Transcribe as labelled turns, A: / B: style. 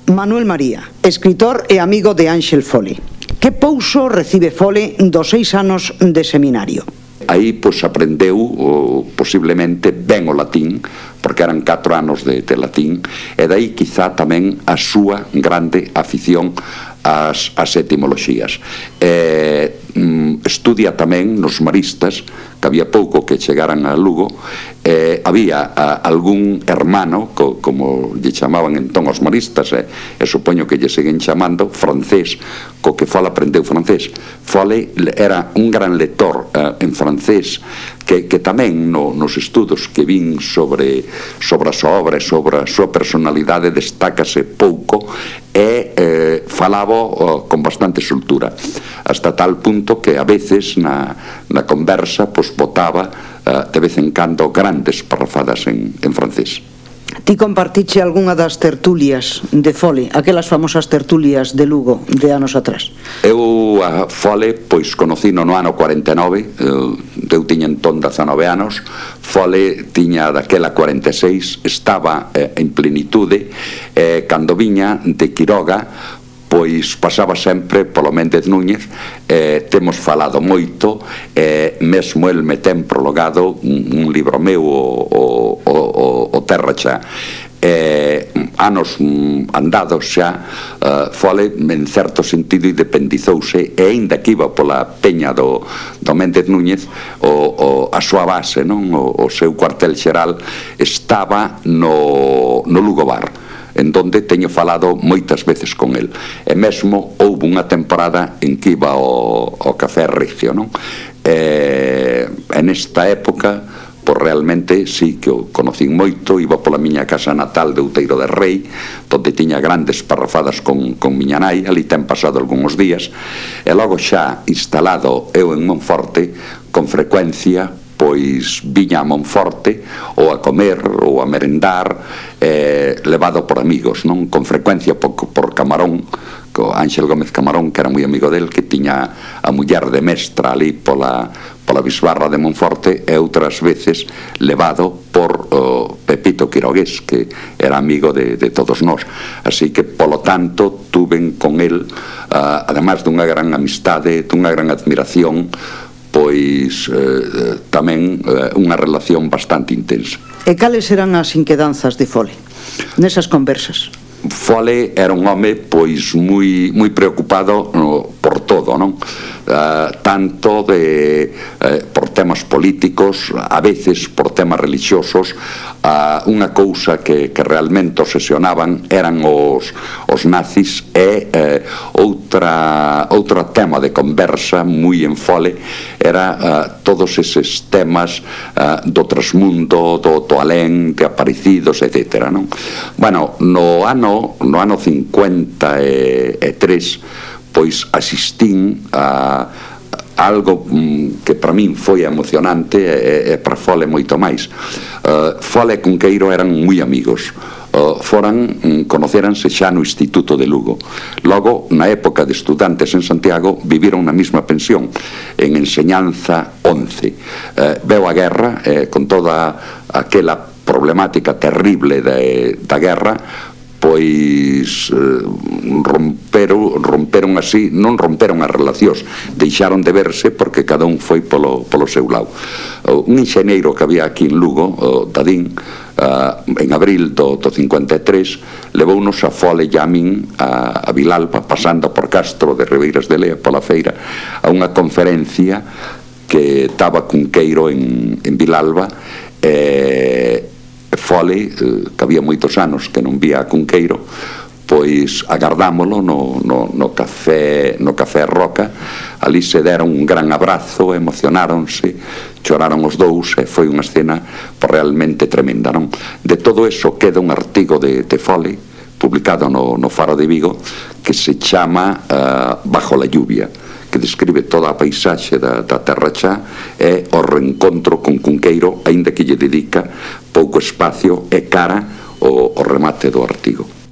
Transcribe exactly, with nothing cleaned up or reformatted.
A: Manuel María, escritor e amigo de Ángel Fole. Que pouso recibe Fole dos seis anos de seminario?
B: Aí, pois, aprendeu o, posiblemente ben o latín, porque eran catro anos de, de latín, e dai quizá tamén a súa grande afición ás, ás etimoloxías. E, mm, estudia tamén nos maristas, que había pouco que chegaran a Lugo, eh, había a, algún hermano, co, como lle chamaban entón os maristas, eh, e supoño que lle seguen chamando, francés, co que Fole aprendeu francés. Fole era un gran lector eh, en francés, que, que tamén no, nos estudos que vin sobre, sobre a súa obra e sobre a súa personalidade destácase pouco, e eh, falaba oh, con bastante soltura, hasta tal punto que a veces na, na conversa pois botaba uh, de vez en cando grandes parrafadas en, en francés.
A: Ti compartiche algunha das tertulias de Fole, aquelas famosas tertulias de Lugo de anos atrás?
B: Eu a Fole pois conocino no ano cuarenta e nove, eu tiña entón dezanove anos, Fole tiña daquela cuarenta e seis, estaba eh, en plenitude, eh, cando viña de Quiroga, pois pasaba sempre polo Méndez Núñez, eh, temos falado moito, eh, mesmo el me ten prologado un, un libro meu, o, o, o, o Terra Xa. Eh, anos mm, andados xa, uh, Fole en certo sentido independizouse, e aínda que iba pola peña do, do Méndez Núñez, o, o, a súa base, non? O, o seu cuartel xeral estaba no, no Lugo Bar, en donde teño falado moitas veces con el, e mesmo houve unha temporada en que iba ao, ao Café Regio, non? E, en esta época, pois realmente sí que o conocín moito, iba pola miña casa natal de Outeiro de Rei, donde tiña grandes parrafadas con, con miña nai, ali ten pasado algúns días, e logo xa instalado eu en Monforte, con frecuencia pois viña a Monforte ou a comer ou a merendar, eh, levado por amigos, non? Con frecuencia por, por Camarón, co Ángel Gómez Camarón, que era moi amigo del, que tiña a muller de mestra ali pola, pola bisbarra de Monforte, e outras veces levado por oh, Pepito Quirogués, que era amigo de, de todos nós. Así que, polo tanto, tuven con el, uh, además dunha gran amistade, dunha gran admiración, pois eh, tamén eh, unha relación bastante intensa.
A: E cales eran as inquedanzas de Fole nesas conversas?
B: Fole era un home pois moi moi preocupado no, por todo, non? Uh, tanto de eh, por temas políticos, a veces por temas religiosos. Uh, unha cousa que, que realmente obsesionaban eran os, os nazis, e eh, outra outro tema de conversa moi en Fole era uh, todos eses temas uh, do trasmundo, do, do alén, de aparecidos, etcétera, non? Bueno, no ano no ano cincuenta e tres, pois asistín a algo mm, que para min foi emocionante, e, e para Fole moito máis. Uh, Fole e Cunqueiro eran moi amigos. Uh, foran, mm, conoceranse xa no Instituto de Lugo. Logo, na época de estudantes en Santiago, viviron na mesma pensión, en Enseñanza once. Uh, veo a guerra, eh, con toda aquela problemática terrible de, da guerra, pois eh, romperon, romperon así, non romperon as relacións, deixaron de verse porque cada un foi polo, polo seu lado. Uh, un enxeneiro que había aquí en Lugo, uh, Dadín, uh, en abril do, do cincuenta e tres, levounos a Fole e a min a, a Vilalba, pasando por Castro de Ribeiras de Lea, pola feira, a unha conferencia que estaba Cunqueiro en, en Vilalba, e Fole, que había moitos anos que non vía a Cunqueiro, pois agardámolo no, no, no café no café Roca. Ali se deron un gran abrazo, emocionáronse, choraron os dous, e foi unha escena realmente tremenda, non? De todo eso queda un artigo de, de Fole publicado no, no Faro de Vigo, que se chama uh, Bajo la lluvia, que describe toda a paisaxe da, da Terra Xa, e o reencontro con Cunqueiro, aínda que lle dedica pouco espacio e cara o, o remate do artigo.